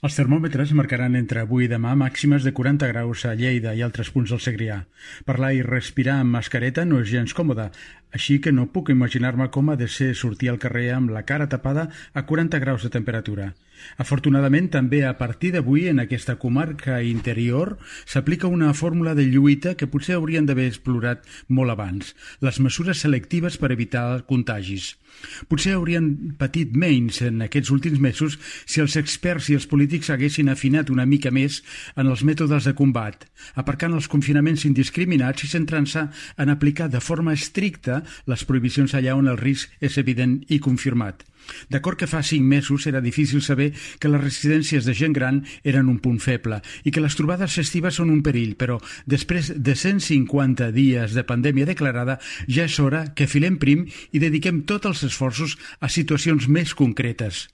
Els termòmetres marcaran entre avui i demà màximes de 40 graus a Lleida i altres punts del Segrià. Parlar i respirar amb mascareta no és gens còmode, així que no puc imaginar-me com ha de ser sortir al carrer amb la cara tapada a 40 graus de temperatura. Afortunadament, també a partir d'avui en aquesta comarca interior s'aplica una fórmula de lluita que potser haurien d'haver explorat molt abans, les mesures selectives per evitar contagis. Potser haurien patit menys en aquests últims mesos si els experts i els polítics haguessin afinat una mica més en els mètodes de combat, aparcant els confinaments indiscriminats i centrant-se en aplicar de forma estricta les prohibicions allà on el risc és evident i confirmat. D'acord que fa 5 mesos era difícil saber que les residències de gent gran eren un punt feble i que les trobades festives són un perill, però després de 150 dies de pandèmia declarada ja és hora que filem prim i dediquem tots els esforços a situacions més concretes.